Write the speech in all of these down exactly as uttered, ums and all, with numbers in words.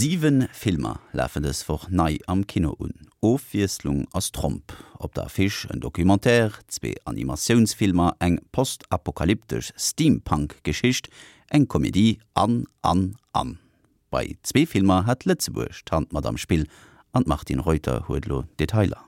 Siwe Filmer lafen dës Woch nei am Kino un. Ofwiesslung ass Tromp. Op der Affiche en Documentaire, zwee Animatiounsfilmer, eng postapokalyptesch Steampunk-Geschicht, eng Komedie an, an, an. Bei zwee Filmer hat Lëtzebuerg d'Hand mat am Spill an d'Martine Reuter huet lo Detailer.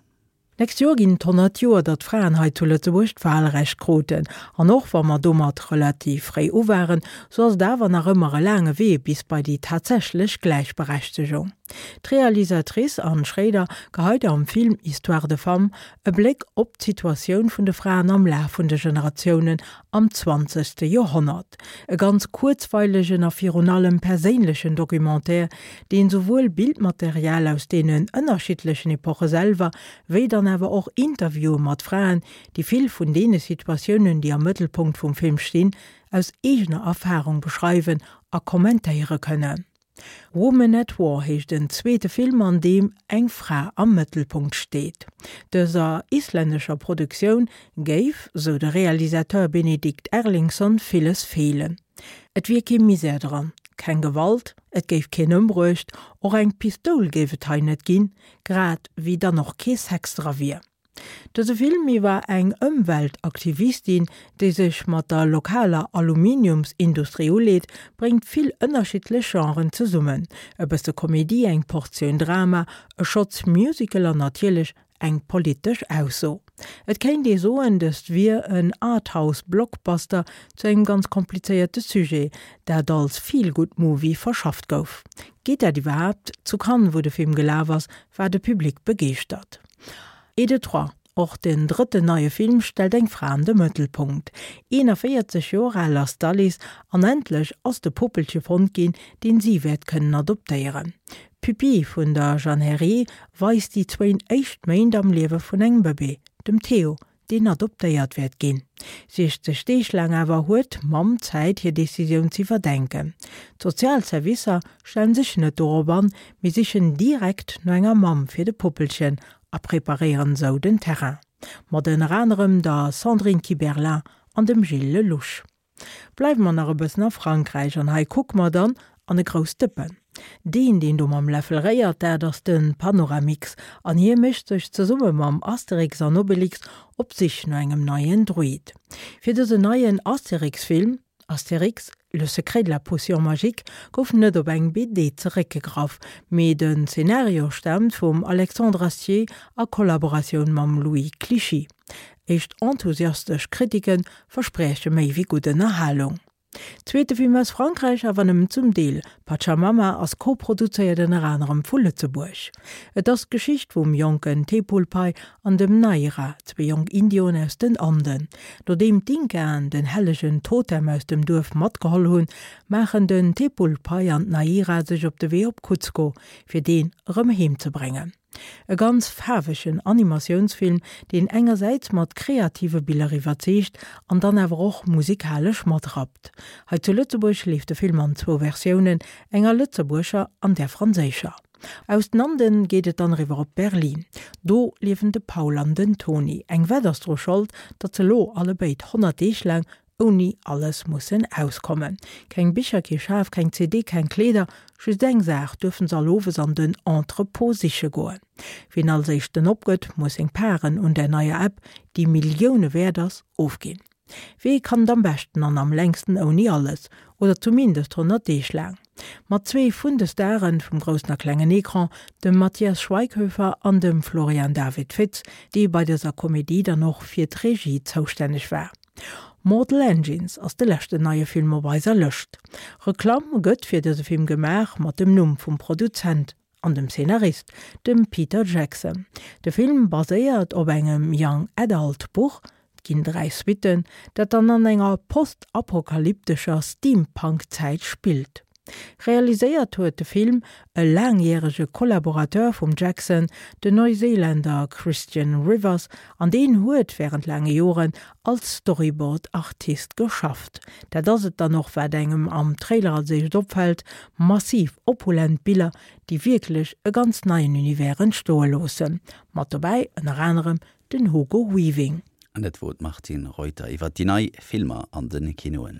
Nächst Joer ginn et honnert Joer, datt d'Fraen hei zu Lëtzebuerg d'Wahlrecht kruten. An och wa mer domat relativ fréi u waren, sou ass et awer nach ëmmer e laange Wee bis bei déi tatsächlech Gläichberechtegung. D'Realisatrice Anne Schréider geheit am Film Histoires de femmes e Bléck op d'Situatioun vun de Fraen am Laf vun de Generatiounen am zwanzegste Joerhonnert. E ganz kuerzweilegen a virun allem perséinlechen Documentaire, deen souwuel Bildmaterial aus deenen ënnerschiddlechen Epoche selwer, wéi dann awer och Interviewe mat Fraen, déi vill vun deene Situatiounen, déi am Mëttelpunkt vum Film stinn, aus eegener Erfarung beschreiwen a kommentéiere kënnen. Woman at War heescht den zweete Film, an deem eng Fra am Mëttelpunkt steet. Dëser islännescher Produktioun géif, sou de Realisateur Benedikt Erlingsson, villes feelen. Et wier kee Misär dran, keng Gewalt, et géif keen ëmbruecht, och eng Pistoul géif et hei net ginn, grad wéi dann och kee Sex dra wier. Dëse Film iwwer eng Ëmweltaktivistin, déi sech mat der lokaler Aluminiumsindustrie uleet, bréngt vill ënnerschiddlech Genren zesummen, e bësse Komedie, eng Portioun Drama, e Schotz Musical an natierlech eng politesch Ausso. Et kéint ee soen, dëst wier en Arthouse-Blockbuster zu engem ganz komplizéierte Sujet, dat als Feel-Good-Movie verschafft gouf. Geet dat iwwerhaapt? Zu Cannes, wou de Film gelaf ass, war de Public begeeschtert. Et de trois. Och den drëtten neie Film stellt eng Fra an de Mëttelpunkt. eenavéierzeg Joer al ass d'Alice an endlech ass de Puppelche fonnt ginn, deen si wäert kënnen adoptéieren. Pupille vun der Jeanne Herry weist déi zwéin éischt Méint am Liewe vun engem Bëbee, dem Theo, deen adoptéiert wäert ginn. Siechzeg Deeg laang awer huet d'Mamm Zäit, hir Decisioun z'iwwerdenken. D'Sozialservicer stellen sech net dorop an, mee sichen direkt no enger Mamm fir de Puppelchen a preparéieren esou den Terrain. Mat ënner anerem der Sandrine Kiberlain an dem Gilles Lellouche. Bleiwe mer nach e bëssen a Frankräich an hei kucke mer dann an e grousst Dëppen. Deen, deen do mam Läffel réiert, dat ass de Panoramix an hie mécht sech zesumme mam Asterix an Obelix op d'Sich no engem neien Druid. Fir dësen neien Asterix-Film, Astérix, le secret de la potion magique, gouf net op eng B D zeréckgegraff, mee den Zenario staamt vum Alexandre Astier a Kollaboratioun mam Louis Clichy. Éischt enthusiastesch Kritike versprieche méi wéi gutt Ënnerhalung. Zweete Film aus Frankräich, awer nëmmen zum Deel, Pachamama ass koproduzéiert ënner anerem vu Lëtzebuerg. Et ass d'Geschicht vum jonken Tepulpai an dem Naira, zwee jonk Indioen aus den Anden. Nodeem d'Inkaen den hellegen Totem aus dem Duerf matgeholl hunn, maachen den Tepulpai an d'Naira sech op de Wee op Cuzco, fir deen erëm heem ze bréngen. E ganz faarwegen Animatiounsfilm, deen engersäits mat kreative Biller iwwerzeegt an dann awer och musikalesch matrappt. Hei zu Lëtzebuerg leeft de Film an zwou Versiounen, enger lëtzebuergescher an där franséischer. Aus den Anden geet et dann eriwwer op Berlin. Do liewen de Paul an den Toni. Eng Wett ass dru Schold, datt se elo allebéid honnert Deeg laang ouni alles mussen auskommen. Keng Bicher, kee Schaf, keng C D, keng Kleeder, just eng Saach duerfen se all owes an den Entrepôt siche goen. Wien als éischten opgëtt, muss seng Paren un der neier App, déi Millioune wäert ass, ofginn. Wee kann et am beschten an am längsten ouni alles, oder zumindest honnert Deeg laang? Mat zwee vun de Staren vum groussen a klengen Ecran, dem Matthias Schweighöfer an dem Florian David Fitz, dee bei dëser Komedie dann och fir d'Regie zoustänneg war. Mortal Engines ass de leschten neie Film op eiser Lëscht. Reklamm gëtt fir dëse Film gemaach mat dem Numm vum Produzent an dem Szenarist, dem Peter Jackson. De Film baséiert op engem Young Adult Buch, et ginn dräi Suitten, dat dann an enger postapokalyptescher Steampunk-Zäit spillt. Realiséiert huet de Film e laangjärege Kollaborateur vum Jackson, den Neuseeländer Christian Rivers, an deen huet wärend laange Joren als Storyboard-Artist geschafft. Dat ass et dann och, wat engem am Trailer als éischt opfält, massiv opulent Biller, déi wierklech e ganz neien Univers entstoe loossen. Mat dobäi ënner anerem den Hugo Weaving. An dat wor d'Martine Reuter iwwer déi nei Filmer an de Kinoen.